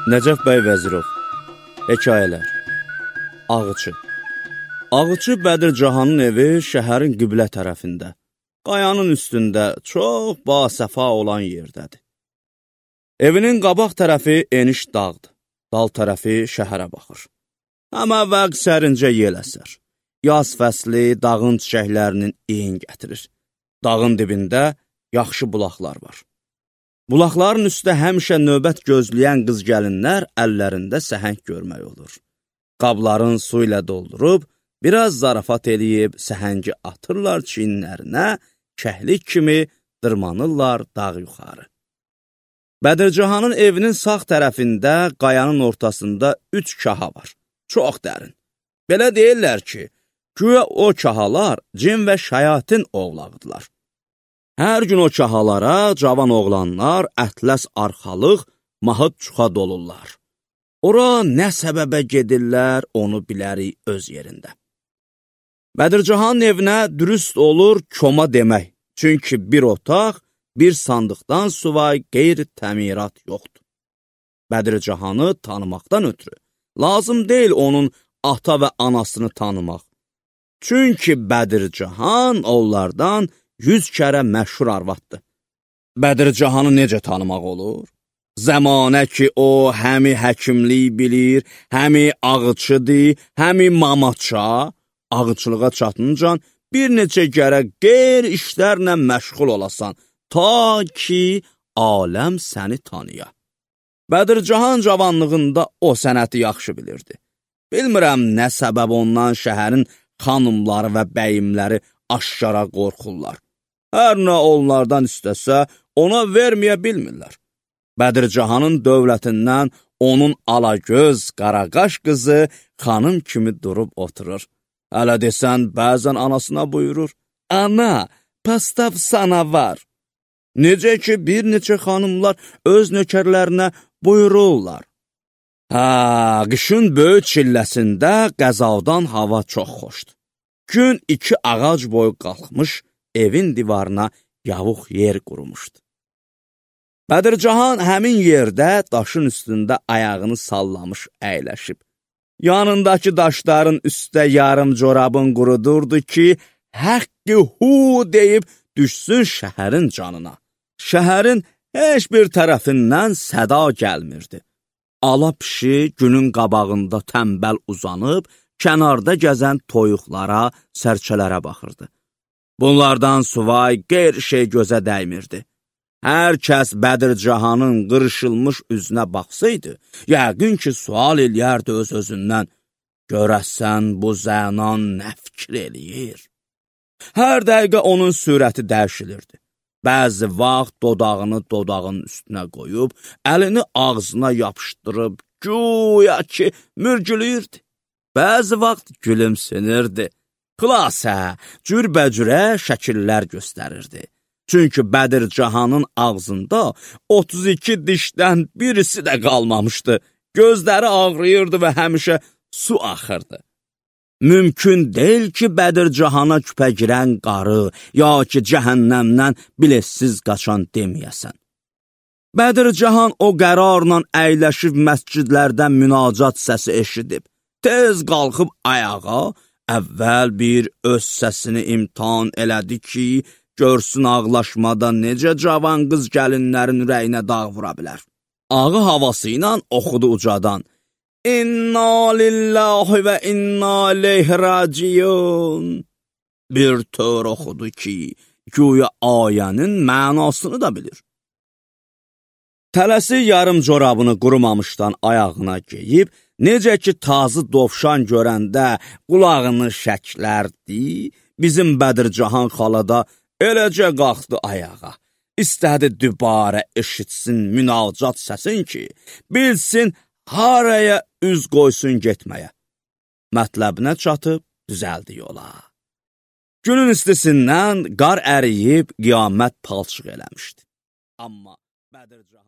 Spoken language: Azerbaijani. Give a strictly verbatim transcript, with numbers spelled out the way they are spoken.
Nəcəf bəy Vəzirov. Hekayələr. Ağıçı. Ağıçı Bədircahanın evi şəhərin qiblə tərəfində, qayanın üstündə çox basəfa olan yerdədir. Evinin qabaq tərəfi eniş dağdır, dal tərəfi şəhərə baxır. Amma vəq sərincə yel əsər. Yaz fəsli dağın çiçəklərinin iyin gətirir. Dağın dibində yaxşı bulaqlar var. Bulaqların üstə həmişə növbət gözləyən qız gəlinlər əllərində səhəng görmək olur. Qabların su ilə doldurub, biraz zarafat eləyib səhəngi atırlar çiyinlərinə, kəhlik kimi dırmanırlar dağ yuxarı. Bədircahanın evinin sağ tərəfində, qayanın ortasında üç kaha var, çox dərin. Belə deyirlər ki, güya o kahalar cin və şayatin ovlağıdırlar. Hər gün o kahalara cavan oğlanlar ətləs arxalıq, mahıd çuxa dolurlar. Ora nə səbəbə gedirlər, onu bilərik öz yerində. Bədircahanın evinə dürüst olur koma demək, çünki bir otaq, bir sandıqdan suvay qeyri-təmirat yoxdur. Bədircahanı tanımaqdan ötürü lazım deyil onun ata və anasını tanımaq. Çünki Bədircahan onlardan yüz kərə məşhur arvaddır. Bədircahanı necə tanımaq olur? Zəmanə ki, o həmi həkimlik bilir, həmi ağıçıdır, həmi mamaça, ağıçılığa çatıncan bir neçə kərə qeyr işlərlə məşğul olasan, ta ki, aləm səni tanıya. Bədircahan cavanlığında o sənəti yaxşı bilirdi. Bilmirəm nə səbəb ondan şəhərin xanımları və bəyimləri aşkara qorxurlar. Hər nə onlardan istəsə, ona verməyə bilmirlər. Bədircahanın dövlətindən onun alagöz, qaraqaş qızı xanım kimi durub oturur. Hələ desən, bəzən anasına buyurur, ana, pastav sana var. Necə ki, bir neçə xanımlar öz nökərlərinə buyururlar. Hə, qışın böyük çilləsində qəzavdan hava çox xoşdur. Gün iki ağac boyu qalxmış, evin divarına yavuq yer qurumuşdu. Bədircahan həmin yerdə daşın üstündə ayağını sallamış əyləşib. Yanındakı daşların üstə yarım corabın qurudurdu ki, həqqi hu deyib düşsün şəhərin canına. Şəhərin heç bir tərəfindən səda gəlmirdi. Ala pişi günün qabağında tənbəl uzanıb, kənarda gəzən toyuqlara, sərçələrə baxırdı. Bunlardan suvay qeyr şey gözə dəymirdi. Hər kəs Bədircahanın qırışılmış üzünə baxsaydı, yəqin ki, sual eləyərdi öz-özündən, görəsən bu zənan nə fikir eləyir? Hər dəqiqə onun sürəti dəyişilirdi. Bəzi vaxt dodağını dodağının üstünə qoyub, əlini ağzına yapışdırıb, güya ki, mürgülüyürdü. Bəzi vaxt gülümsünürdü. Xülasə, cürbəcürə şəkillər göstərirdi. Çünki Bədircahanın ağzında otuz iki dişdən birisi də qalmamışdı. Gözləri ağrıyırdı və həmişə su axırdı. Mümkün deyil ki, Bədircahana küpə girən qarı, ya ki, cəhənnəmdən bilessiz qaçan deməyəsən. Bədircahan o qərarla əyləşib məscidlərdən münacat səsi eşidib. Tez qalxıb ayağa, əvvəl bir öz səsini imtihan elədi ki, görsün ağlaşmada necə cavan qız gəlinlərin ürəyinə dağ vura bilər. Ağı havası ilə oxudu ucadan. İnna lillahi və inna ileyhi raciun. Bir tör oxudu ki, güya ayənin mənasını da bilir. Tələsi yarım corabını qurumamışdan ayağına geyib, necə ki, tazı dovşan görəndə qulağını şəklərdi, bizim Bədircahan xalada eləcə qalxdı ayağa. İstədi dübarə eşitsin münacat səsin ki, bilsin haraya üz qoysun getməyə. Mətləbinə çatıb düzəldi yola. Günün istisindən qar əriyib qiyamət palçıq eləmişdi. Amma Bədircahan